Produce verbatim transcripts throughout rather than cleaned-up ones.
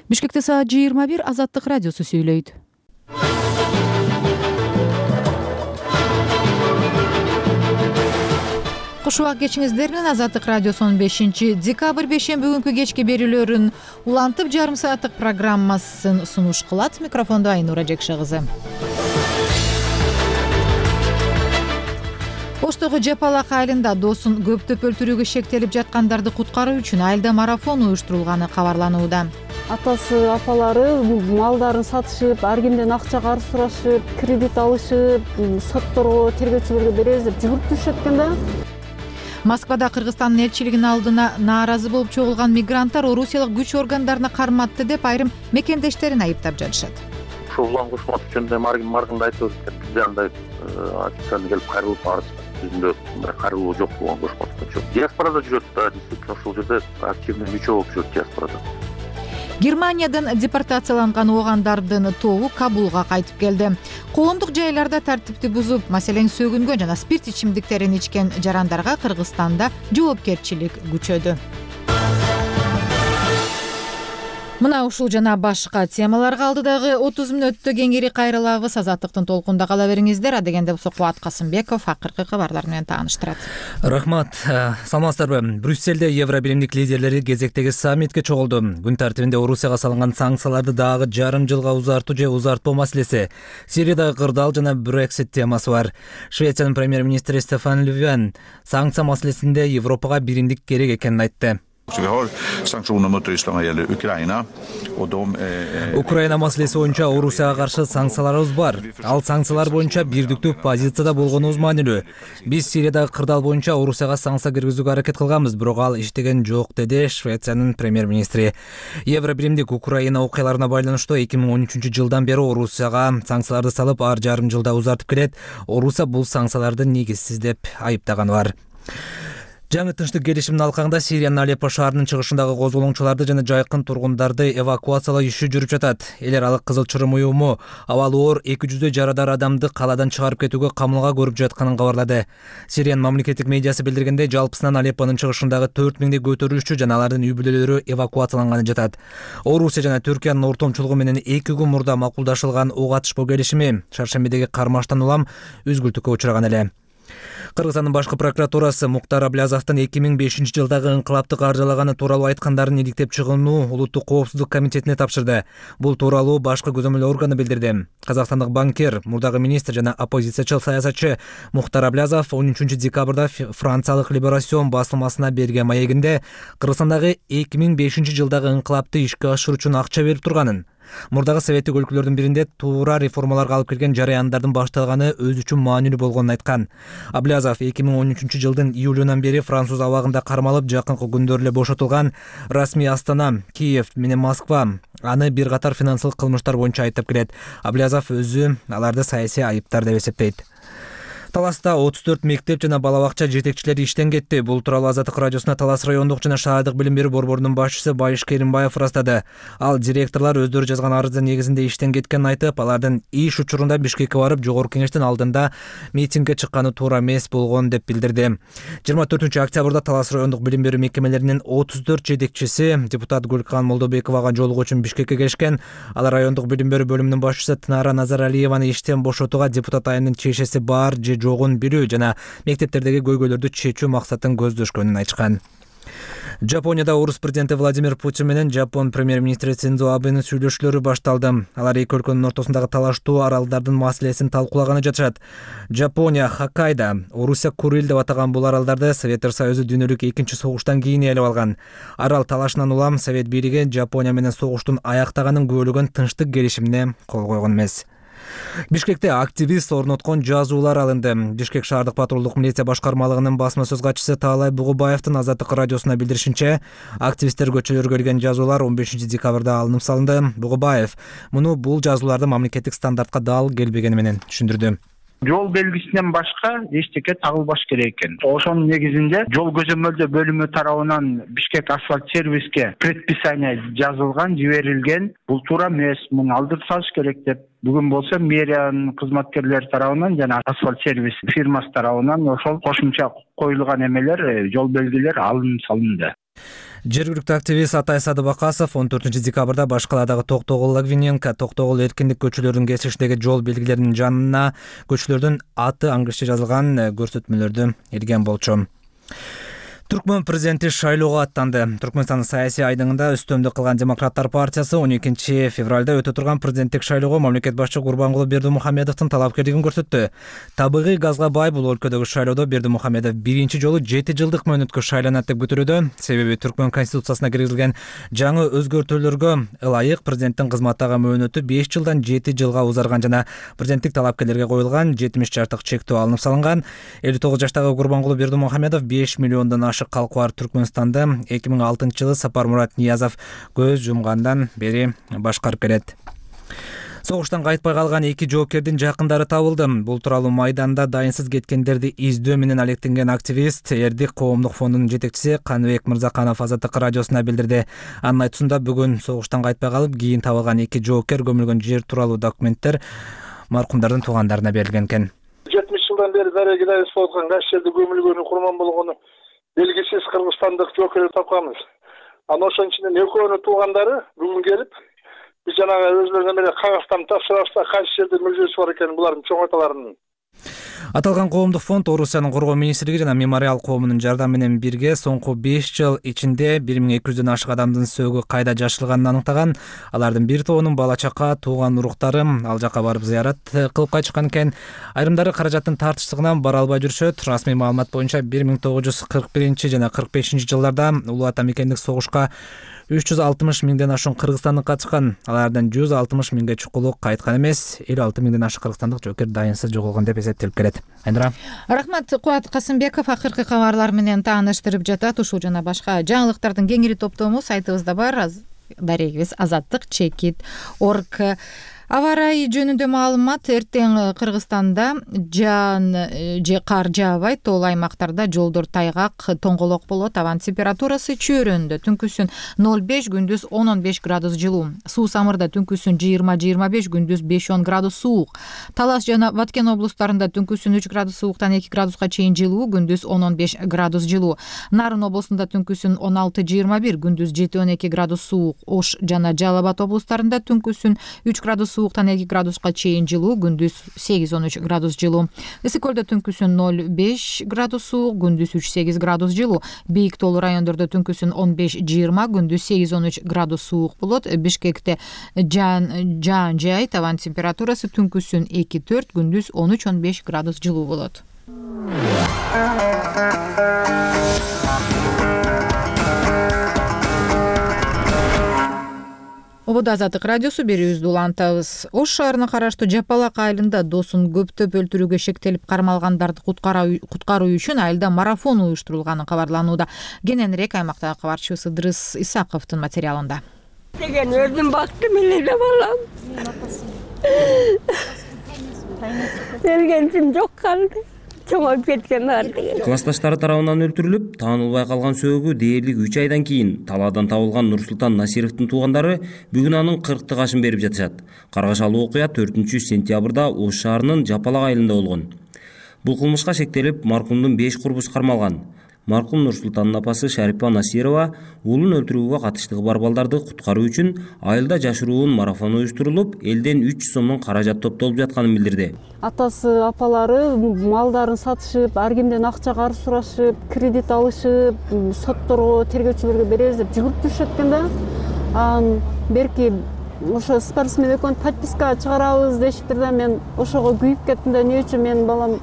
Бишкекте саат жыйырма бир. Азаттык радиосу сүйлөйт. Куш убак кечиңиздер менен Азаттык радиосунун бешинчи декабрь бейшемби күнкү кечки берүүлөрүн улантып жарым сааттык программасын сунуш кылат. Микрофондо Айнура Жекше кызы. Оштогу Жапалак айылында доосун көптөп өлтүрүүгө шектелип жаткандарды куткаруу үчүн айылда марафон уюштурулганы кабарланууда. Атасы, апалары малдарын сатышып, ар кимден акча карыз сурашып, кредит алышып, сотторго, тергөөчүлөргө беребиз деп жүгүрүп түшүшөт экен да. Москвада Кыргызстандын элчилигинин алдына нааразы болуп чогулган мигранттар орусиялык күч органдарына карматты деп айрым мекендештерин айыптап жатышат. Ушул улам кошмот үчүн маргында айтып өтүп бизде андай официально келип кайрылып барышты. Жүзүндө кайрылуу жок болгон кошмот үчүн. Диаспорада жүрөт да, действительно ушул жерде активный мүчө болуп жүрөт диаспорада. Германиядан депортацияланган оогандардын тобу Кабулга кайтып келди. Коомдук жайларда тартипти бузуп, маселен сөгүнгөн жана спирт ичимдиктерин ичкен жарандарга Кыргызстанда жоопкерчилик күчөдү. Мына ушул жана башка темаларга алдыдагы отуз мүнөттө кеңири кайрылабыз. Азаттыктын толкунда кала бериңиздер. Адегенде болсо Кубат Касымбеков акыркы кабарлар менен тааныштырат. Рахмат. Саламатсыздарбы? Брюсселде Евробиримдик лидерлери кезектеги саммитке чогулду. Күн тартибинде Орусияга салынган санкцияларды дагы жарым жылга узартуу же узартпоо маселеси, Сириядагы кырдаал жана Брексит темасы бар. Швециянын премьер-министри Стефан Löfven санкция маселесинде Европага биримдик керек экенин айтты. Украина маселеси боюнча Орусияга каршы санкцияларыбыз бар. Ал санкциялар боюнча бирдиктүү позицияда болгонубуз маанилүү. Биз Сириядагы кырдаал боюнча Орусияга санкция киргизүүгө аракет кылганбыз, бирок ал иштеген жок, деди Швециянын премьер-министри. Евробиримдик Украина окуяларына байланыштуу эки миң он үчүнчү жылдан бери Орусияга санкцияларды салып, ар жарым жылда узартып келет. Орусия бул санкцияларды негизсиз деп айыптаганы бар. Жаңы тынчтык келишимдин алкагында Сириянын Алеппо шаарынын чыгышындагы козголоңчуларды жана жайкын тургундарды эвакуациялоо иши жүрүп жатат. Эл аралык Кызыл Чырым уюму абалы оор эки жүздөй жарадар адамды калаадан чыгарып кетүүгө камылга көрүп жатканын кабарлады. Сириянын мамлекеттик медиасы билдиргендей, жалпысынан Алеппонун чыгышындагы төрт миңдей көтөрүлүшчү жана алардын үй бүлөлөрү эвакуацияланганы жатат. Орусия жана Түркиянын ортомчулугу менен эки күн мурда макулдашылган ок атышпоо келишими Шаршембидеги кармаштан улам үзгүлтүккө учураган эле. Кыргызстандын башкы прокуратурасы Муктар Аблязовдун эки миң бешинчи жылдагы инкылапты каржылаганы тууралуу айткандарын иликтеп чыгууну Улуттук коопсуздук комитетине тапшырды. Бул тууралуу башкы көзөмөл органы билдирди. Казакстандык банкир, мурдагы министр жана оппозициячыл саясатчы Муктар Аблязов он үчүнчү декабрда франциялык Либерасион басылмасына берген маегинде Кыргызстандагы эки миң бешинчи жылдагы инкылапты ишке ашыруу үчүн акча берип турганын, мурдагы советтик өлкөлөрдүн биринде туура реформаларга алып келген жараяндардын башталганы өз үчүн маанилүү болгонун айткан. Аблязов эки миң он үчүнчү жылдын июлунан бери француз абагында кармалып, жакынкы күндөрү эле бошотулган. Расмий Астана, Киев менен Москва аны бир катар финансылык кылмыштар боюнча айыптап келет. Аблязов өзү аларды саясий айыптар деп эсептейт. Таласта отуз төрт мектеп жана бала бакча жетекчилери иштен кетти. Бул тууралуу Азаттык радиосуна Талас райондук жана шаардык билим берүү борборунун башчысы Байыш Керимбаев ырастады. Ал директорлор өздөрү жазган арыздын негизинде иштен кеткенин айтып, алардын иш учурунда Бишкекке барып, жогорку кеңештин алдында митингге чыкканы туура эмес болгон деп билдирди. жыйырма төртүнчү октябрда Талас райондук билим берүү мекемелеринин отуз төрт жетекчиси депутат Гүлкан Молдобековага жолугуу үчүн Бишкекке келишкен. Алар райондук билим берүү бөлүмүнүн башчысы Тынара Назаралиеваны иштен бошотууга депутат айымдын чечеси бар же жогун билүү жана мектептердеги көйгөйлөрдү чечүү максатын көздөшкөнүн айтышкан. Жапонияда орус президенти Владимир Путин менен Жапон премьер-министри Синдзо Абенин сүйлөшүүлөрү башталды. Алар эки өлкөнүн ортосундагы талаштуу аралдардын маселесин талкуулаганы жатышат. Жапония Хоккайдо, Орусия Курил деп атаган бул аралдарды Советтер Союзу дүйнөлүк экинчи согуштан кийин ээлеп алган. Арал талашынан улам Совет бийлиги Жапония менен согуштун аяктаганын күбөлөгөн тынчтык келишимине кол койгон эмес. Бишкекте активист орноткон жазуулар алынды. Бишкек шаардык патрулдук милиция башкармалыгынын басма сөз катчысы Таалай Бугубаевдин Азаттык радиосуна билдиришинче, активисттер көчөлөргө келген жазуулар он бешинчи декабрда алынып салынды. Бугубаев муну бул жазууларды мамлекеттик стандартка дал келбегени менен түшүндүрдү. Жол белгисинен башка эчтеке тагылбаш керек экен. Ошонун негизинде жол көзөмөлдөө бөлүмү тарабынан Бишкек асфальт сервиске предписание жазылган, жиберилген. Бул туура эмес, муну алдырып салыш керек деп. Бүгүн болсо мэриянын кызматкерлери тарабынан жана асфальт сервис фирмасы тарабынан ошол кошумча коюлган эмелер, жол белгилер алынып салынды. Жергиликтүү активист Атай Садыбакасов он төртүнчү декабрда баш каладагы Токтогул Логвиненко Токтогул эркиндик көчөлөрүнүн кесишиндеги жол белгилеринин жанына көчөлөрдүн аты англисче жазылган көрсөтмөлөрдү илген болчу. Түркмөн президенти шайлоого аттанды. Түркмөнстандын саясий айдыңында үстөмдүк кылган Демократтар партиясы он экинчи февралда өтө турган президенттик шайлоого мамлекет башчы Гурбангулы Бердимухамедовдун талапкерлигин көрсөттү. Табигый газга бай бул өлкөдөгү шайлоодо Бердимухамедов биринчи жолу жети жылдык мөөнөткө шайланат деп күтүлүүдө. Себеби Түркмөн конституциясына киргизилген жаңы өзгөртүүлөргө ылайык президенттин кызматтагы мөөнөтү беш жылдан жети жылга узарган жана президенттик талапкерлерге коюлган жетимиш жаштык чектөө алынып салынган. элүү тогуз жаштагы Гурбангулы Бердимухамедов беш миллиондон калкы бар Түркмөнстанда эки миң алтынчы жылы Сапармурат Ниязов көз жумгандан бери башкарып келет. Согуштан кайтпай калган эки жоокердин жакындары табылды. Бул тууралуу майданда дайынсыз кеткендерди издөө менен алектенген активист Эрдик коомдук фондунун жетекчиси Каныбек Мырзаканов Азаттык радиосуна билдирди. Анын айтуусунда бүгүн согуштан кайтпай калып кийин табылган эки жоокер көмүлгөн жер тууралуу документтер маркумдардын туугандарына берилген экен. жетимиш жылдан бери дареги дайыс болгон кайсы жерде көмүлгөнү, курман болгону белгисиз кыргызстандык жоокерди тапканбыз. Анан ошонун ичинен экөөнүн туугандары бүгүн келип, биз жанагы өзлөрүнө менен кагаздан тапшырабыз да кайсы жерде мүлжөсү бар экенин булардын чоң аталарынын. Аталган коомдук фонд Орусиянын коргоо министрлиги жана Мемориал коомунун жардамы менен бирге соңку беш жыл ичинде бир миң эки жүздөн ашык адамдын сөөгү кайда жашылганын анықтаган. Алардын бир тобунун бала чака, тууган уруктары ал жака барып зыярат кылып кайтышкан экен. Айрымдары каражаттын тартычтыгынан бара албай жүрүшөт. Расмий маалымат боюнча бир миң тогуз жүз кырк биринчи жана кырк бешинчи жылдарда улуу ата мекендик согушка үч жүз алтымыш миңден ашуун кыргызстандык катышкан. Алардан жүз алтымыш миңге чукулу кайткан эмес. элүү алты миңден ашык кыргызстандык жоокер дайынсыз жоголгон деп эсептелип келет. Айнура. Рахмат. Кубат Касымбеков акыркы кабарлар менен тааныштырып жатат. Ушул жана башка жаңылыктардын кеңири топтому сайтыбызда бар. Дарегибиз азаттык чекит точка орг. Аба ырайы жөнүндө маалымат: эртең Кыргызстанда жаан же кар жаабайт. Тоол аймактарда жолдор тайгак, тоңголок болот. Абанын температурасы чөйрөндө түнкүсүн ноль беш, күндүз он он беш градус жылуу. Суу Самырда түнкүсүн жыйырма жыйырма беш, күндүз беш он градус суук. Талас жана Баткен облустарында түнкүсүн үч градус сууктан эки градуска чейин жылуу, күндүз он он беш градус жылуу. Нарын облусунда түнкүсүн он алты жыйырма бир, күндүз жети он эки градус суук. Ош жана Жалал Абад облустарында түнкүсүн үч градус сууктан эки градуска чейин жылуу, күндүз сегиз он үч градус жылуу. Ысык көлдө түнкүсүн ноль беш градус суук, күндүз үч сегиз градус жылуу. Бийик тоолуу райондордо түнкүсүн он беш жыйырма, күндүз сегиз он үч градус суук болот. Бишкекте жаан жаан жаайт. Абанын температурасы түнкүсүн эки төрт, күндүз он үч он беш градус жылуу болот. Ободо Азаттык радиосу берүүбүздү улантабыз. Ош шаарына караштуу Жапалак айылында досун көптөп өлтүрүүгө шектелип кармалгандарды куткаруу үчүн айылда марафон уюштурулганы кабарланууда. Кененирээк аймактагы кабарчыбыз Ыдрыс Исаковдун материалында. Деген өзүм бактым эле балам. Келгенсим жок калды. Чоңоюп кеткен бар деген. Классташтары тарабынан өлтүрүлүп, таанылбай калган сөөгү дээрлик үч айдан кийин талаадан табылган Нурсултан Насировдун туугандары бүгүн анын кырктык ашын берип жатышат. Каргашалуу окуя төртүнчү сентябрда Ош шаарынын Жапалак айылында болгон. Бул кылмышка шектелип, маркумдун беш курбусу кармалган. Маркум Нурсултандын апасы Шарипа Насирова уулун өлтүрүүгө катыштыгы бар балдарды куткаруу үчүн айылда жашыруун марафон уюштурулуп, элден үч жүз сомдон каражат топтолуп жатканын билдирди. Атасы, апалары малдарын сатышып, ар кимден акча карыз сурашып, кредит алышып, сотторго, тергөөчүлөргө беребиз деп жүгүрүп жүрүшөт экен да. Анан берки ошо спортсмен экөөн подписка чыгарабыз дешиптир да, мен ошого күйүп кеттим да, эмне үчүн менин балам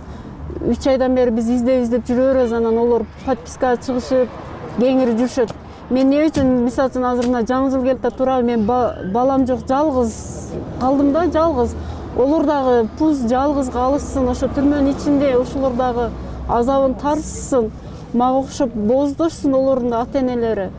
үч айдан бери биз издеп издеп жүрөбүз, анан олор подпискага чыгышып, кеңири жүрүшөт. Мен эмне үчүн, мисалы үчүн азыр мына жаңы жыл келип турабы, мен балам жок, жалгыз калдым да, жалгыз. Олор дагы пуз жалгыз калышсын, ошо түрмөнүн ичинде ошолор дагы азабын тартышсын, мага окшоп боздошсун олордун ата-энелери.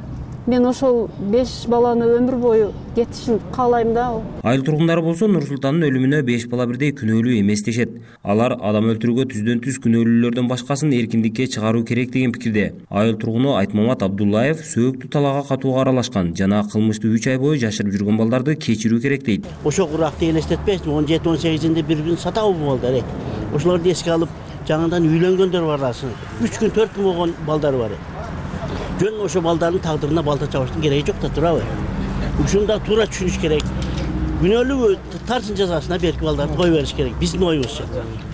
Мен ошол беш баланы өмүр бою кетишин каалайм да. Айыл тургундары болсо Нурсултандын өлүмүнө беш бала бирдей күнөөлүү эмес дешет. Алар адам өлтүрүүгө түздөн түз күнөөлүүлөрдөн башкасын эркиндикке чыгаруу керек деген пикирде. Айыл тургуну Айтмамат Абдуллаев сөөктүү талаага катууга аралашкан жана кылмышты үч ай бою жашырып жүргөн балдарды кечирүү керек дейт. Ошо куракты элестетпейсиң, он жети он сегизинде бири-бирин сатабы балдар. Ошолорду эске алып, жаңыдан үйлөнгөндөр бар асын. үч күн төрт күн болгон балдар бар. жөн ошо балдардын тагдырына балта чабыштын кереги жок да, туурабы? Ушуну да туура түшүнүш керек. Күнөөлүү тарчын жазасына берки балдарды кое бериш керек. Биздин оюбузча.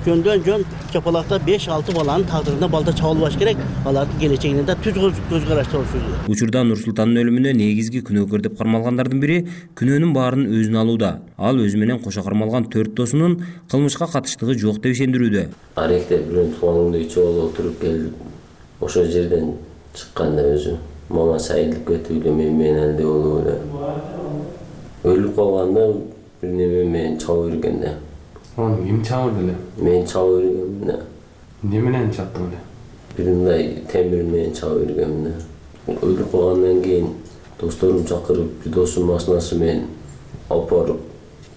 Жөндөн жөн чапалакта беш алты баланын тагдырына балта чабылбаш керек. Алардын келечегине да түз көз карашты болушу керек. Учурда Нурсултандын өлүмүнө негизги күнөөкөр деп кармалгандардын бири күнөөнүн баарын өзүнө алууда. Ал өзү менен кошо кармалган төрт досунун кылмышка катыштыгы жок деп ишендирүүдө. Аректе бирөөнүн тууганымды чогуу отуруп келип, ошол жерден чыкканда өзү мама сайылып кетип эле мен менен эле болуп эле. Өлүп калганда бир неме мени чабып берген да. Аны ким чабырды эле? Мен чабып бергенмин да. Эмне менен чаптың эле? Бир мындай темир менен чабып бергенмин да. Өлүп калгандан кийин досторум чакырып, бир досум машинасы менен алып барып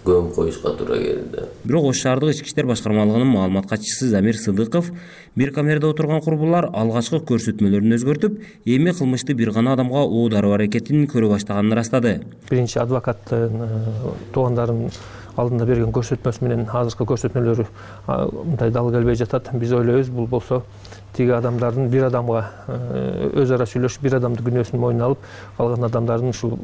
көмүп коюшка туура келди. Бирок Ош шаардык ички иштер башкармалыгынын маалымат катчысы Замир Сыдыков бир камерада отурган курбулар алгачкы көрсөтмөлөрүн өзгөртүп, эми кылмышты бир гана адамга оодаруу аракетин көрө баштаганын ырастады. Биринчи адвокаттын туугандарынын алдында берген көрсөтмөсү менен азыркы көрсөтмөлөрү мындай дал келбей жатат. Биз ойлойбуз, бул болсо тиги адамдардын бир адамга өз ара сүйлөшүп, бир адамдын күнөөсүн мойнуна алып, калган адамдардын ушул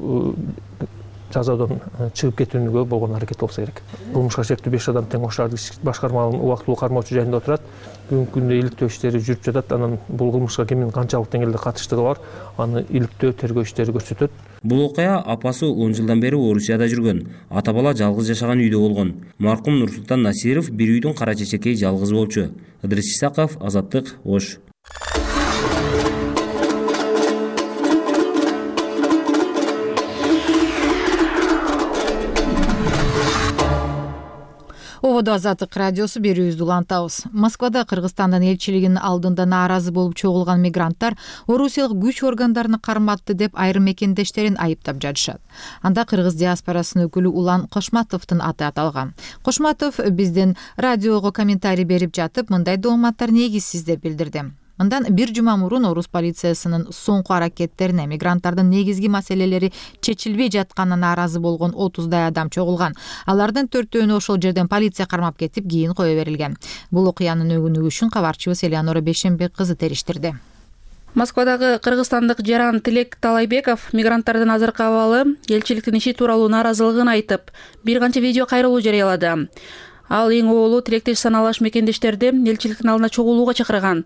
жазадан чыгып кетүүгө болгон аракет болсо керек. Кылмышка шектүү беш адам тең Ош шаардык башкармалыгынын убактылуу кармоочу жайында отурат. Бүгүнкү күндө иликтөө иштери жүрүп жатат. Анан бул кылмышка кимдин канчалык деңгээлде катыштыгы бар, аны иликтөө тергөө иштери көрсөтөт. Бул окуя апасы он жылдан бери Орусияда жүргөн. Ата бала жалгыз жашаган үйдө болгон. Маркум Нурсултан Насиров бир үйдүн кара чечекей жалгыз болчу. Ыдрис Исаков, Азаттык, Ош. Ободо Азаттык радиосу берүүбүздү улантабыз. Москвада Кыргызстандын элчилигинин алдында нааразы болуп чогулган мигранттар орусиялык күч органдарына карматты деп айрым мекендештерин айыптап жатышат. Анда кыргыз диаспорасынын өкүлү Улан Кошматовдун аты аталган. Кошматов биздин радиого комментарий берип жатып, мындай дооматтар негизсиз деп билдирди. Мындан бир жума мурун орус полициясынын соңку аракеттерине мигранттардын негизги маселелери чечилбей жатканына нааразы болгон отуздай адам чогулган. Алардын төртөөнү ошол жерден полиция кармап кетип, кийин кое берилген. Бул окуянын өнүгүшүн кабарчыбыз Элеонора Бешенбек кызы териштирди. Москвадагы кыргызстандык жаран Тилек Талайбеков мигранттардын азыркы абалы, элчиликтин иши тууралуу нааразылыгын айтып, бир канча видео кайрылуу жарыялады. Ал эң оолу тилектеш саналаш мекендештерди элчиликтин алдына чогулууга чакырган.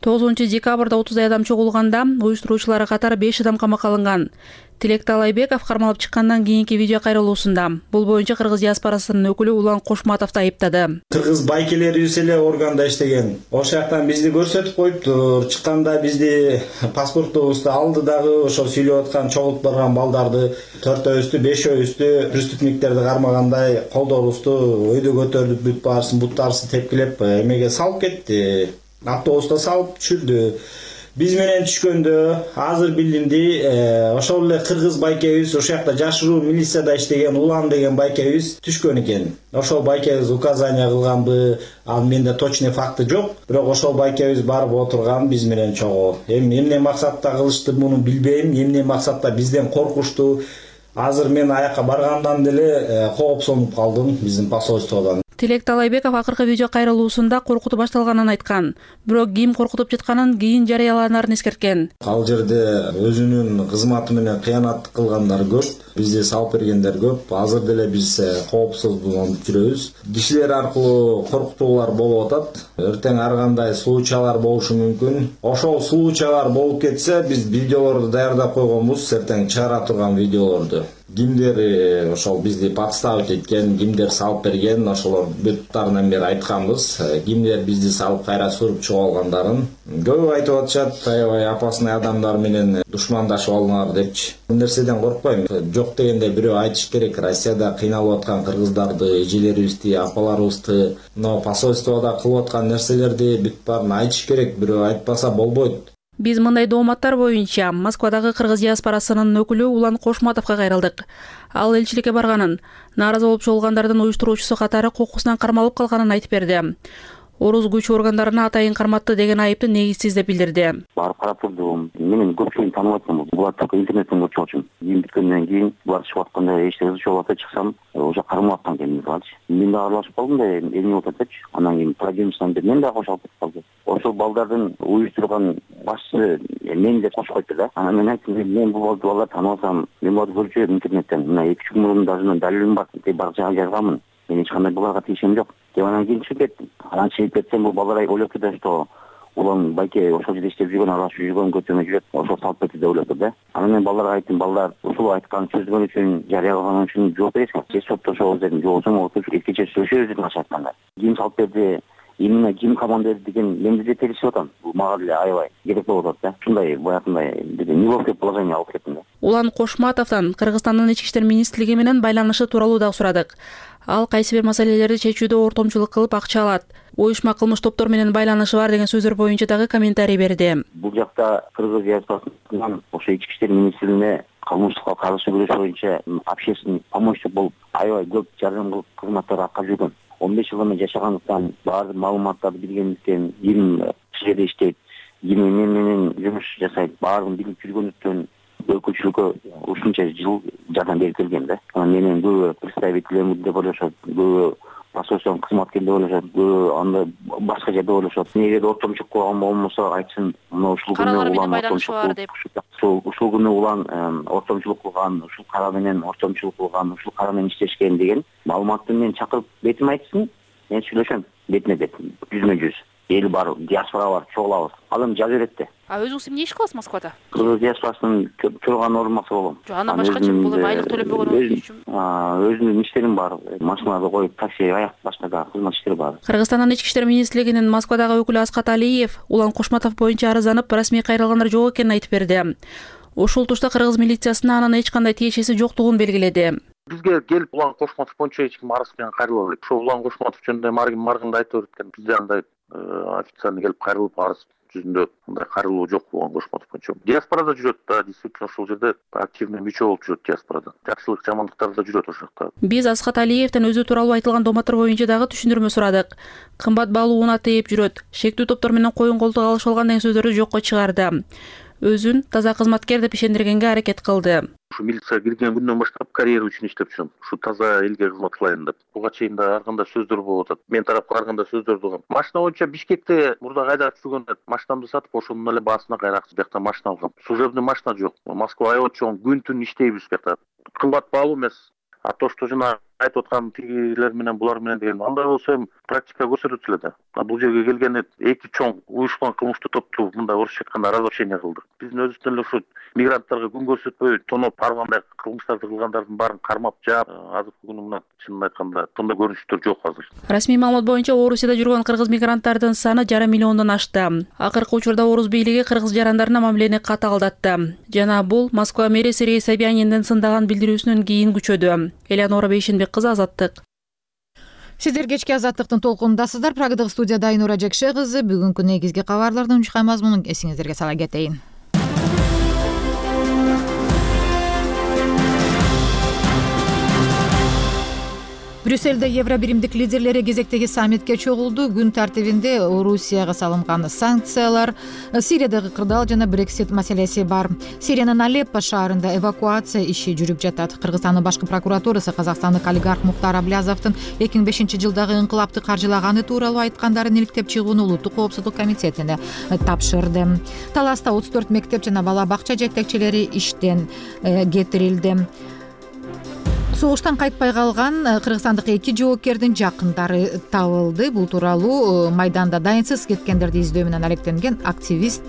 тогузунчу декабрда отуздай адам чогулганда уюштуруучулары катары беш адам камакка алынган. Тилек Талайбеков кармалып чыккандан кийинки видео кайрылуусунда бул боюнча кыргыз диаспорасынын өкүлү Улан Кошматовду айыптады. Кыргыз байкелерибиз эле органда иштеген. Ошол жактан бизди көрсөтүп коюптур. Чыкканда бизди паспортубузду алды дагы ошо сүйлөп аткан чогулуп барган балдарды төртөөбүздү, бешөөбүздү приступниктерди кармагандай колдорубузду өйдө көтөрүп бүт баарысын буттарыбызды тепкилеп эмеге салып кетти. Автобуста салып түшүрдү. Биз менен түшкөндө азыр билдимди, ошол эле кыргыз байкебиз, ошол жакта жашыруу милицияда иштеген Улан деген байкебиз түшкөн экен. Ошол байкебиз указания кылганбы, ал менде точный факты жок, бирок ошол байкебиз барып отурган биз менен чогуу. Эми эмне максатта кылышты муну билбейм, эмне максатта бизден коркушту. Азыр мен аяка баргандан деле коопсонуп калдым биздин посольстводон. Тилек Талайбеков акыркы видео кайрылуусунда коркутуп башталганын айткан, бирок ким коркутуп жатканын кийин жарыяланарын эскерткен. Ал жерде өзүнүн кызматы менен кыянат кылгандар көп, бизди салып бергендер көп. Азыр деле биз коопсуздугун жүрөбүз. Кишилер аркылуу коркутуулар болуп атат. Эртең ар кандай случайлар болушу мүмкүн. Ошол случайлар болуп кетсе, биз видеолорду даярдап койгонбуз, эртең чыгара турган видеолорду. Кимдер ошол бизди подставить эткен, кимдер салып берген, ошолор бүттарынан бери айтканбыз. Кимдер бизди салып кайра сүрүп чыгып алгандарын көп айтып атышат. Аябай опасный адамдар менен душмандашып алыңар депчи. Бул нерседен коркпойм. Жок дегенде бирөө айтыш керек. Россияда кыйналып аткан кыргыздарды, эжелерибизди, апаларыбызды, но посольствода кылып аткан нерселерди бүт баарын айтыш керек. Бирөө айтпаса болбойт. Биз мындай дооматтар боюнча Москвадагы кыргыз диаспорасынын өкүлү Улан Кошматовго кайрылдык. Ал элчиликке барганын, нааразы болуп чогулгандардын уюштуруучусу катары кокусунан кармалып калганын айтып берди. Орус күч органдарына атайын карматты деген айыпты негизсиз деп билдирди. Барып карап турдум. Менин көпчүлүгүн таанып атам. Булар только интернеттен көрүп чыгып. Кийин биткенден кийин булар чыгып атканда эчтеке чыгып атса чыксам, уже кармап аткан экен балчы. Мен да аралашып калдым да, эмне болуп атчы. Анан кийин продюсердан бери мен да кошулуп кетип калдым. Ошол балдардын уюштурган башчы мен деп кошуп койду да. Анан мен айттым, мен бул балдар тааныбасам, мен буларды көрүп жүрөм интернеттен. Мына эки үч күн мурун даже далилим бар, бар жага жазганмын. Мен эч кандай буларга тиешем жок деп анан кийин чыгып кеттим. Анан чыгып кетсем бул балдар ойлоп кетет, что улам байке ошол жерде иштеп жүргөн, аралашып жүргөн, көчөмө жүрөт, ошол салып кетти деп ойлоп да. Анан мен балдарга айттым, балдар ушул айткан сөздөрү үчүн, жарыялаган үчүн жооп бересиңер. Же соттошобуз дедим, же болбосо отуруп эркече сүйлөшөбүз дедим башка айтканда. Ким салып берди, именно ким команда берди деген мен бизде телешип атам. Бул мага деле аябай керек болуп атат да. Ушундай баягындай неловкое положение алып кеттим да. Улан Кошматовдон Кыргызстандын ички иштер министрлиги менен байланышы тууралуу дагы сурадык. Ал кайсы бир маселелерди чечүүдө ортомчулук кылып акча алат. Уюшма кылмыш топтор менен байланышы бар деген сөздөр боюнча дагы комментарий берди. Бул жакта Кыргыз диаспорасынан ошо ички иштер министрлигине кылмыштыкка каршы күрөш боюнча общественный помощник болуп аябай көп жардам кылып кызматтар аткарып жүргөн. он беш жыл эме жашагандыктан баардык маалыматтарды билгендиктен, ким ушул жерде иштейт, ким эмне менен жумуш жасайт, баардыгын билип жүргөндүктөн өкүлчүлүккө ушунча жыл жардам берип келген да. Анан менен көбү представителем деп ойлошот, көбү посольствонун кызматкери деп ойлошот, көбү анда башка жерде ойлошот. Эгер ортомчулук кылган болмосо айтсын, мына ушул күнү улам ортомчулук ушул күнү улам ортомчулук кылган, ушул кара менен ортомчулук кылган, ушул кара менен иштешкен деген маалыматты мен чакырып бетиме айтсын, мен сүйлөшөм бетине бет, жүзмө жүз. Эл бар, диаспора бар, чогулабыз. Ал эми жаза берет да. А өзүңүз эмне иш кыласыз Москвада? Кыргыз диаспорасынын төраган орунбасары болом. Жок, андан башкачы бул эми айлык төлөнбөгөн үчүн. Өзүмдүн иштерим бар. Машиналарды коюп, такси, аяк башка да кызмат иштери бар. Кыргызстандын ички иштер министрлигинин Москвадагы өкүлү Аскат Алиев Улан Кошматов боюнча арызданып, расмий кайрылгандар жок экенин айтып берди. Ошол тушта кыргыз милициясына анын эч кандай тиешеси жоктугун белгиледи. Бизге келип Улан Кошматов боюнча эч ким арыз менен кайрыла элек. Ошо Улан Кошматов жөнүндө маргин маргында айтып өткөн. Бизде андай официально келип кайрылып арыз жүзүндө мындай кайрылуу жок Улан Кошматов боюнча. Диаспорада жүрөт да, действительно ошол жерде активный мүчө болуп жүрөт диаспорада. Жакшылык, жамандыктар да жүрөт ошол жакта. Биз Аскат Алиевден өзү тууралуу айтылган доматор боюнча дагы түшүндүрмө сурадык. Кымбат баалууна тээп жүрөт, шектүү топтор менен коюн колтук алышып алган деген сөздөрдү жокко чыгарды. Өзүн таза кызматкер деп ишендиргенге аракет кылды. Ушу милицияга кирген күндөн баштап карьера үчүн иштеп жүрөм. Ушу таза элге кызмат кылайын деп. Буга чейин да ар кандай сөздөр болуп атат. Мен тарапка ар кандай сөздөр болгон. Машина боюнча Бишкекте мурда кайдап жүргөндө машинамды сатып, ошонун эле баасына кайра акча биякта машина алгам. Служебный машина жок. Москва аябай чоң, күн түн иштейбиз биякта. Кымбат баалуу эмес. А то, что жана айтып аткан тигилер менен булар менен деген андай болсо эми практика көрсөтөт эле да. Бул жерге келгенде эки чоң уюшкан кылмыштуу топту мындай орусча айтканда разрушение кылдык. Биздин өзүбүздөн эле ушу мигранттарга күн көрсөтпөй тоноп аргандай кылмыштарды кылгандардын баарын кармап жаап, азыркы күнү мына чынын айтканда мындай көрүнүштөр жок азыр. Расмий маалымат боюнча Орусияда жүргөн кыргыз мигранттардын саны жарым миллиондон ашты. Акыркы учурда Орус бийлиги кыргыз жарандарына мамилени катаалдатты. Жана бул Москва мэрияси Рей Собяниндин сындаган билдирүүсүнөн кийин күчөдү. Элеонора Бейшенбек кызы, Азаттык. Сиздер кечки Азаттыктын толкунундасыздар. Прагдагы студияда Айнура Жекше кызы. Бүгүнкү негизги кабарлардын унчукай мазмунун эсиңиздерге сала кетейин. Брюссельде Евробиримдик лидерлери кезектеги саммитке чогулду. Күн тартибинде Орусияга салынган санкциялар, Сириядагы кырдаал жана Брексит маселеси бар. Сириянын Алеппо шаарында эвакуация иши жүрүп жатат. Кыргызстандын башкы прокуратурасы казакстандык олигарх Муктар Аблязовдун эки миң бешинчи жылдагы инкылапты каржылаганы тууралуу айткандарын иликтеп чыгууну Улуттук коопсуздук комитетине тапшырды. Таласта отуз төрт мектеп жана бала бакча жетекчилери иштен кетирилди. Согуштан кайтпай калган кыргызстандык эки жоокердин жакындары табылды. Бул тууралуу майданда дайынсыз кеткендерди издөө менен алектенген активист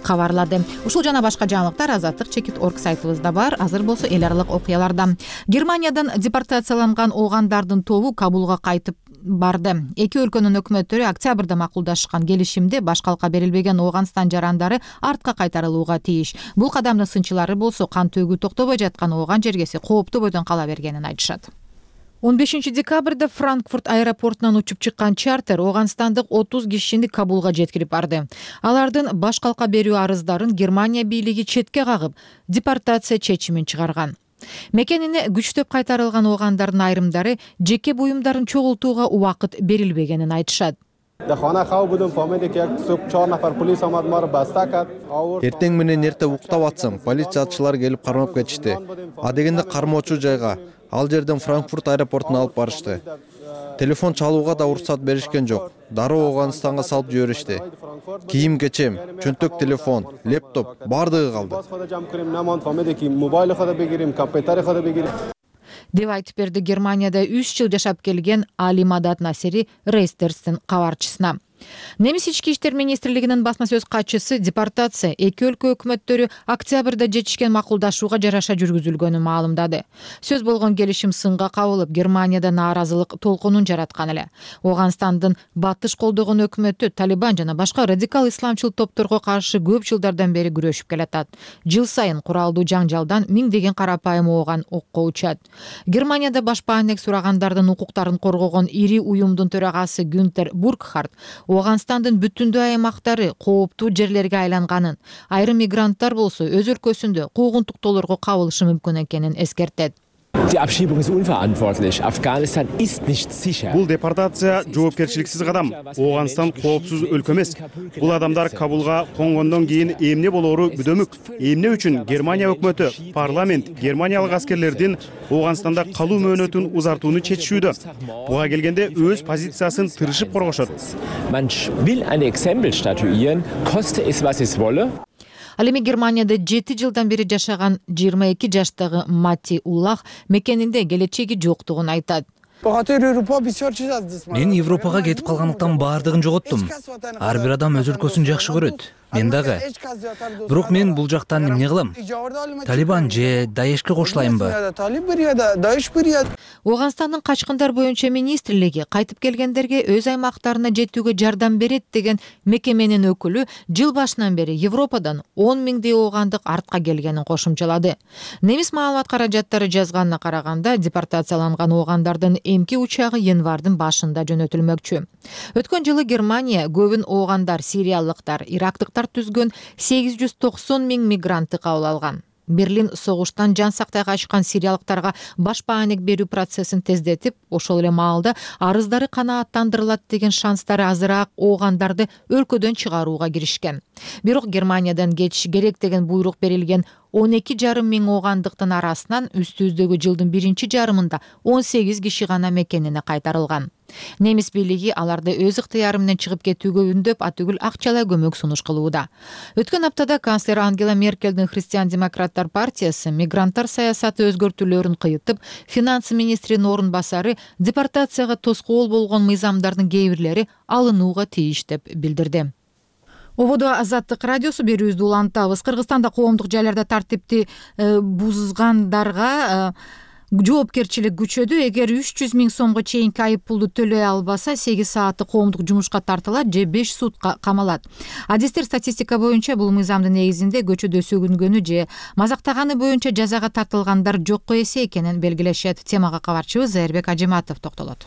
кабарлады. Ушул жана башка жаңылыктар Азаттык чекит точка орг сайтыбызда бар. Азыр болсо эл аралык окуялардан. Германиядан депортацияланган оогандардын тобу Кабулга кайтып барды. Эки өлкөнүн өкмөттөрү октябрда макулдашкан келишимде баш калка берилбеген Оогандстан жарандары артка кайтарылууга тийиш. Бул кадамдын сынчылары болсо кан төгүү токтобой жаткан Ооган жергеси кооптуу бойдон кала бергенин айтышат. он бешинчи декабрда Франкфурт аэропортунан учуп чыккан чартер Оогандстандык отуз кишини Кабулга жеткирип барды. Алардын баш калка берүү арыздарын Германия бийлиги четке кагып, депортация чечимин чыгарган. Мекенине күчтөп кайтарылган оогандардын айрымдары жеке буюмдарын чогултууга убакыт берилбегенин айтышат. Эртең менен эрте уктап атсам, полициячылар келип кармап кетишти. А дегенде кармоочу жайга, ал жерден Франкфурт аэропортуна алып барышты. телефон чалууга да уруксат беришкен жок. Дароо Ооганстанга салып жиберишти. Кийим кечем, чөнтөк телефон, лептоп бардыгы калды деп айтып берди Германияда үч жыл жашап келген Али Мадат Насери Рейстерстин кабарчысына. Немис ички иштер министрлигинин басма сөз катчысы депортация эки өлкө өкмөттөрү октябрда жетишкен макулдашууга жараша жүргүзүлгөнүн маалымдады. Сөз болгон келишим сынга кабылып, Германияда нааразылык толкунун жараткан эле. Ооганстандын батыш колдогон өкмөтү Талибан жана башка радикал исламчыл топторго каршы көп жылдардан бери күрөшүп келатат. Жыл сайын куралдуу жаңжалдан миңдеген карапайым ооган окко учат. Германияда баш баанек сурагандардын укуктарын коргогон ири уюмдун төрагасы Гюнтер Бургхарт Ооганстандын бүтүндүү аймактары кооптуу жерлерге айланганын, айрым мигранттар болсо өз өлкөсүндө куугунтуктоолорго кабылышы мүмкүн экенин эскертет. Бул депортация жоопкерчиликсиз кадам. Ооганстан коопсуз өлкө эмес. Бул адамдар Кабулга конгондон кийин эмне болоору күдөмүк. Эмне үчүн Германия өкмөтү, парламент германиялык аскерлердин Ооганстанда калуу мөөнөтүн узартууну чечишүүдө. Буга келгенде өз позициясын тырышып коргошот. Ал эми Германияда жети жылдан бери жашаган жыйырма эки жаштагы Мати Уллах мекенинде келечеги жоктугун айтат. Мен Европага кетип калгандыктан баардыгын жоготтум. Ар бир адам өз өлкөсүн жакшы көрөт. Мен дагы. Бирок мен бул жактан эмне кылам? Талибан же Даешке кошулайынбы? Ооганстандын качкындар боюнча министрлиги кайтып келгендерге өз аймактарына жетүүгө жардам берет деген мекеменин өкүлү жыл башынан бери Европадан он миңдей оогандык артка келгенин кошумчалады. Немис маалымат каражаттары жазганына караганда, депортацияланган оогандардын эмки учагы январдын башында жөнөтүлмөкчү. Өткөн жылы Германия көбүн оогандар, сириялыктар, ирактыктар түзгөн сегиз жүз токсон миң мигрантты кабыл алган. Берлин согуштан жан сактай качкан сириялыктарга баш баанек берүү процессин тездетип, ошол эле маалда арыздары канааттандырылат деген шанстары азыраак оогандарды өлкөдөн чыгарууга киришкен. Бирок Германиядан кетиш керек деген буйрук берилген он эки жарым миң оогандыктын арасынан үстүбүздөгү жылдын биринчи жарымында он сегиз киши гана мекенине кайтарылган. Немис бийлиги аларды өз ыктыяры менен чыгып кетүүгө үндөп, атүгүл акчалай көмөк сунуш кылууда. Өткөн аптада канцлер Ангела Меркелдин христиан-демократтар партиясы мигранттар саясаты өзгөртүүлөрүн кыйытып, финансы министринин орун басары депортацияга тоскоол болгон мыйзамдардын кээ бирлери алынууга тийиш деп билдирди. Ободо Азаттык радиосу берүүбүздү улантабыз. Кыргызстанда коомдук жайларда тартипти бузгандарга жоопкерчилик күчөдү. Эгер үч жүз миң сомго чейинки айып пулду төлөй албаса, сегиз сааттык коомдук жумушка тартылат же беш сутка камалат. Адистер статистика боюнча бул мыйзамдын негизинде көчөдө сөгүнгөнү же мазактаганы боюнча жазага тартылгандар жокко эсе экенин белгилешет. Темага кабарчыбыз Зайырбек Ажиматов токтолот.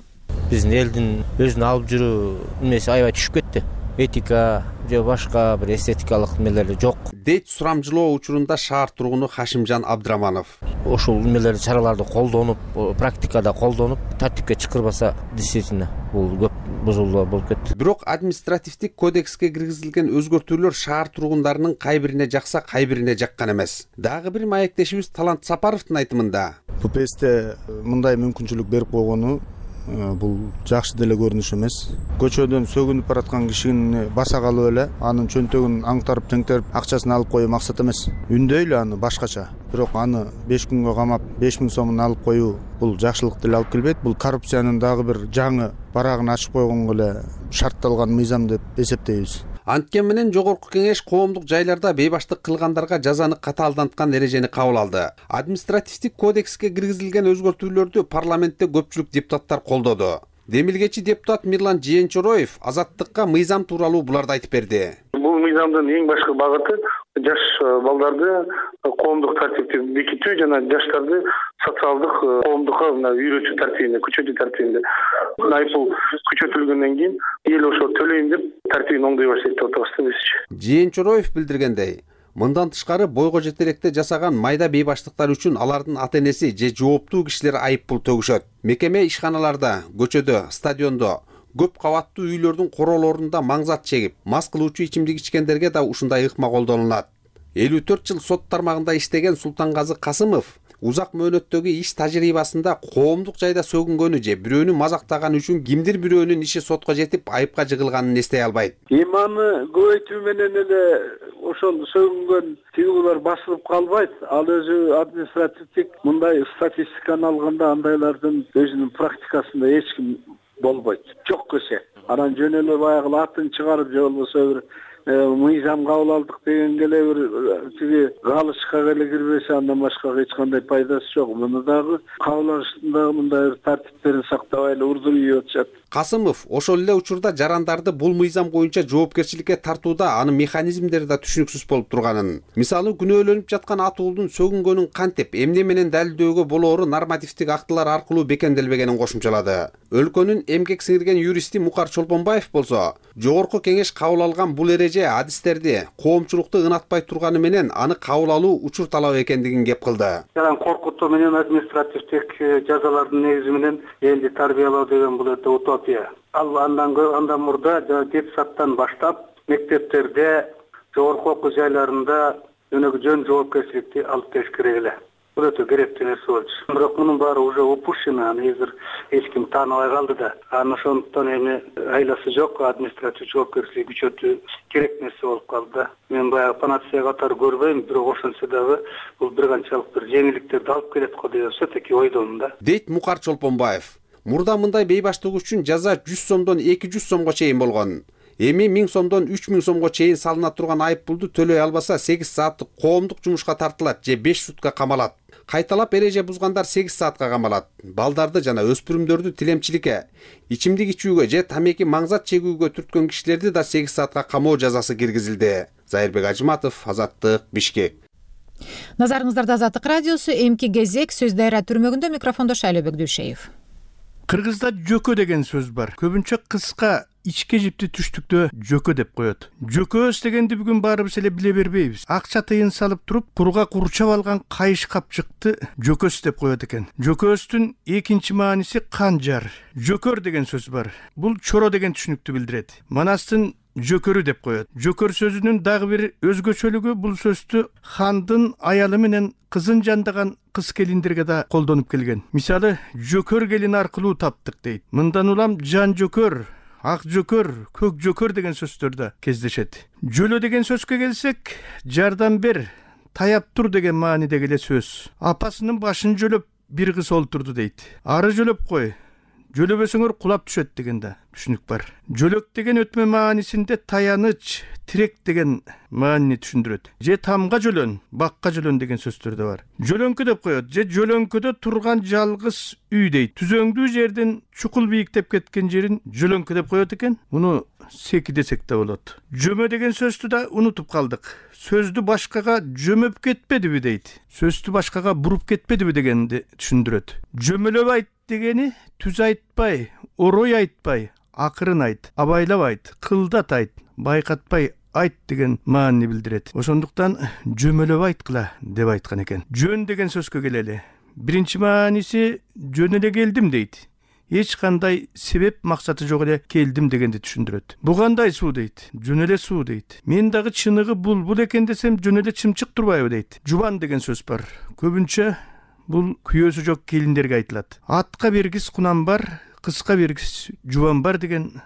Биздин элдин өзүн алып жүрүү эмеси аябай түшүп кетти. Этика же башка бир эстетикалык эмелер жок дейт сурамжылоо учурунда шаар тургуну Хашимжан Абдраманов. Ошол эмелерди, чараларды колдонуп, практикада колдонуп, тартипке чакырбаса, действительно бул көп бузулуу болуп кетти. Бирок административдик кодекске киргизилген өзгөртүүлөр шаар тургундарынын кай бирине жакса, кай бирине жаккан эмес. Дагы бир маектешибиз Талант Сапаровдун айтымында ППСте мындай мүмкүнчүлүк берип койгону бул жакшы деле көрүнүш эмес. Көчөдөн сөгүнүп бараткан кишини баса калып эле анын чөнтөгүн аңтарып теңтерип акчасын алып коюу максат эмес. Үндөйлү аны башкача. Бирок аны беш күнгө камап беш миң сомун алып коюу бул жакшылык деле алып келбейт. Бул коррупциянын дагы бир жаңы барагын ачып койгонго эле шартталган мыйзам деп эсептейбиз. Анткени менен жогорку кеңеш коомдук жайларда бейбаштык кылгандарга жазаны катаалданткан эрежени кабыл алды. Административдик кодекске киргизилген өзгөртүүлөрдү парламентте көпчүлүк депутаттар колдоду. Демилгечи депутат Мирлан Жээнчороев Азаттыкка мыйзам тууралуу буларды айтып берди. Бул мыйзамдын эң башкы багыты жаш балдарды коомдук тартипти бекитүү жана жаштарды социалдык коомдукка үйрөтүү тартибинде, күчөтүү тартибинде. Айыппул күчөтүлгөндөн кийин эл ошо төлөйм деп тартибин оңдой баштайт деп атабыз бизчи. Жээнчороев билдиргендей, мындан тышкары бойго жетелекте жасаган майда бейбаштыктар үчүн алардын ата энеси же жооптуу кишилер айыппул төгүшөт. Мекеме ишканаларда, көчөдө, стадиондо, көп кабаттуу үйлөрдүн королорунда маңзат чегип, мас кылуучу ичимдик ичкендерге да ушундай ыкма колдонулат. элүү төрт жыл сот тармагында иштеген Султангазы Касымов узак мөөнөттөгү иш тажрыйбасында коомдук жайда сөгүнгөнү же бирөөнү мазактаганы үчүн кимдир бирөөнүн иши сотко жетип айыпка жыгылганын эстей албайт. Эми аны көбөйтүү менен эле ошол сөгүнгөн тигилер басылып калбайт. Ал өзү административдик мындай статистиканы алганда андайлардын өзүнүн практикасында эч ким болбойт. Жок көсө. Анан жөн эле баягы атын чыгарып же болбосо бир мыйзам кабыл алдык дегенге эле бир тиги галычка эле кирбесе андан башка эч кандай пайдасы жок. Муну дагы кабыл алыштын дагы мындай бир тартиптерин сактабай эле урдуп ийип атышат. Касымов ошол эле учурда жарандарды бул мыйзам боюнча жоопкерчиликке тартууда анын механизмдери да түшүнүксүз болуп турганын, мисалы күнөөлөнүп жаткан атуулдун сөгүнгөнүн кантип эмне менен далилдөөгө болоору нормативдик актылар аркылуу бекемделбегенин кошумчалады. Өлкөнүн эмгек сиңирген юристи Мукар Чолпонбаев болсо, жогорку кеңеш кабыл алган бул эреже адистерди коомчулукту ынатпай турганы менен аны кабыл алуу учур талап экендигин кеп кылды. Коркутуу менен административдик жазалардын негизи менен элди тарбиялоо деген бул өтө утопия. Ал андан андан мурда детсадтан баштап мектептерде, жогорку окуу жайларында жөн жоопкерчиликти алып келиш керек эле. Бул өтө керектүү нерсе болчу. Бирок мунун баары уже упущено, аны азыр эч ким тааныбай калды да. Аны ошондуктан эми айласы жок административдик жоопкерчилик күчөтүү керек нерсе болуп калды. Мен баягы панацея катары көрбөйм, бирок ошентсе дагы бул бир канчалык бир жеңилдиктерди алып келет го деген все-таки ойдомун да. Дейт Мукар Чолпонбаев. Мурда мындай бейбаштык үчүн жаза жүз сомдон эки жүз сомго чейин болгон. Эми миң сомдон үч миң сомго чейин салына турган айып пулду төлөй албаса сегиз сааттык коомдук жумушка тартылат же беш сутка камалат. Кайталап эреже бузгандар сегиз саатка камалат. Балдарды жана өспүрүмдөрдү тилемчиликке, ичимдик ичүүгө же тамеки маңзат чегүүгө түрткөн кишилерди да сегиз саатка камоо жазасы киргизилди. Зайырбек Ажыматов, Азаттык, Бишкек. Назарыңыздарда Азаттык радиосу, эмки кезек сөз дайра түрмөгүндө, микрофондо Шайлообек Дүйшеев. Кыргызда жөкө деген сөз бар. Көбүнчө кыска ичке жипти түштүктө жөкө деп коет. Жөкөс дегенди бүгүн баарыбыз эле биле бербейбиз. Акча тыйын салып туруп, куруга курчап алган кайыш капчыкты жөкөс деп коет экен. Жөкөстүн экинчи мааниси канжар. Жөкөр деген сөз бар. Бул чоро деген түшүнүктү билдирет. Манастын жөкөрү деп коет. Жөкөр сөзүнүн дагы бир өзгөчөлүгү бул сөздү хандын аялы менен кызын жандаган кыз келиндерге да колдонуп келген. Мисалы, жөкөр келин аркылуу таптык дейт. Мындан улам жан жөкөр, ак жөкөр, көк жөкөр деген сөздөр да кездешет. Жөлө деген сөзгө келсек, жардам бер, таяп тур деген маанидеги эле сөз. Апасынын башын жөлөп бир кыз олтурду дейт. Ары жөлөп кой, жөлөбөсөңөр кулап түшөт деген да түшүнүк бар. Жөлөк деген өтмө маанисинде таяныч, тирек деген маанини түшүндүрөт. Же тамга жөлөн, бакка жөлөн деген сөздөр да бар. Жөлөңкү деп коет, же жөлөңкөдө турган жалгыз үй дейт. Түзөңдүү жерден чукул бийиктеп кеткен жерин жөлөңкү деп коет экен. Муну секи десек да болот. Жөмө деген сөздү да унутуп калдык. Сөздү башкага жөмөп кетпедиби дейт. Сөздү башкага буруп кетпедиби дегенди түшүндүрөт. Жөмөлөп айт дегени түз айтпай, орой айтпай, акырын айт, абайлап айт, кылдат айт, байкатпай айт деген маанини билдирет. Ошондуктан жөмөлөп айткыла деп айткан экен. Жөн деген сөзгө келели. Биринчи мааниси жөн эле келдим дейт. Эч кандай себеп максаты жок эле келдим дегенди түшүндүрөт. Бу кандай суу дейт. Жөн эле суу дейт. Мен дагы чыныгы булбул экен десем жөн эле чымчык турбайбы дейт. Жубан деген сөз бар. Көбүнчө бул күйөөсү жок келиндерге айтылат. Атка бергис кунам бар, кызга бергис жубан бар деген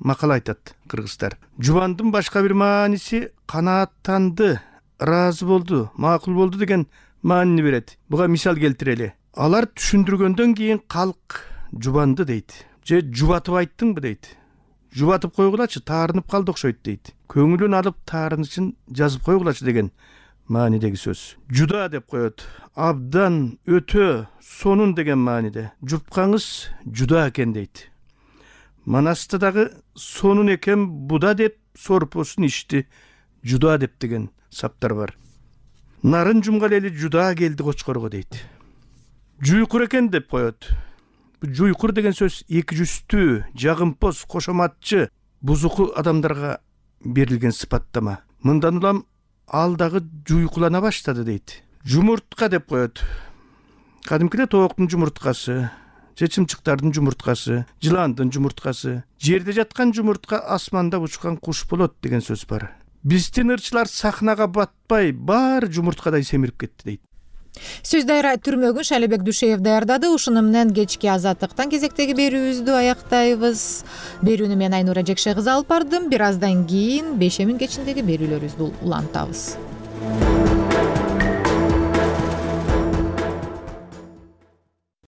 макал айтат кыргыздар. Жубандын башка бир мааниси канааттанды, ыраазы болду, макул болду деген маанини берет. Буга мисал келтирели. Алар түшүндүргөндөн кийин калк жубанды дейт. Же жубатып айттыңбы дейт. Жубатып койгулачы, таарынып калды окшойт дейт. Көңүлүн алып таарынычын жазып койгулачы деген маанидеги сөз. Жуда деп коет. Абдан, өтө, сонун деген мааниде. Жупкаңыз жуда экен дейт. Манаста дагы сонун экен буда деп сорпосун ичти жуда деп деген саптар бар. Нарын жумгал эли жуда келди кочкорго дейт. Жуйкур экен деп коет. Жуйкур деген сөз эки жүздүү, жагымпоз, кошоматчы, бузуку адамдарга берилген сыпаттама. Мындан улам ал дагы жуйкулана баштады дейт. Жумуртка деп коет. Кадимкиде тооктун жумурткасы, же чымчыктардын жумурткасы, жыландын жумурткасы, жерде жаткан жумуртка асманда учкан куш болот деген сөз бар. Биздин ырчылар сахнага батпай, баары жумурткадай семирип кетти дейт. Сөз дайра түрмөгүн Шалибек Дүйшеев даярдады. Ушуну менен кечки азаттыктан кезектеги берүүбүздү аяктайбыз. Берүүнү мен Айнура Жекше кызы алып бардым. Бир аздан кийин бешемин кечиндеги берүүлөрүбүздү улантабыз.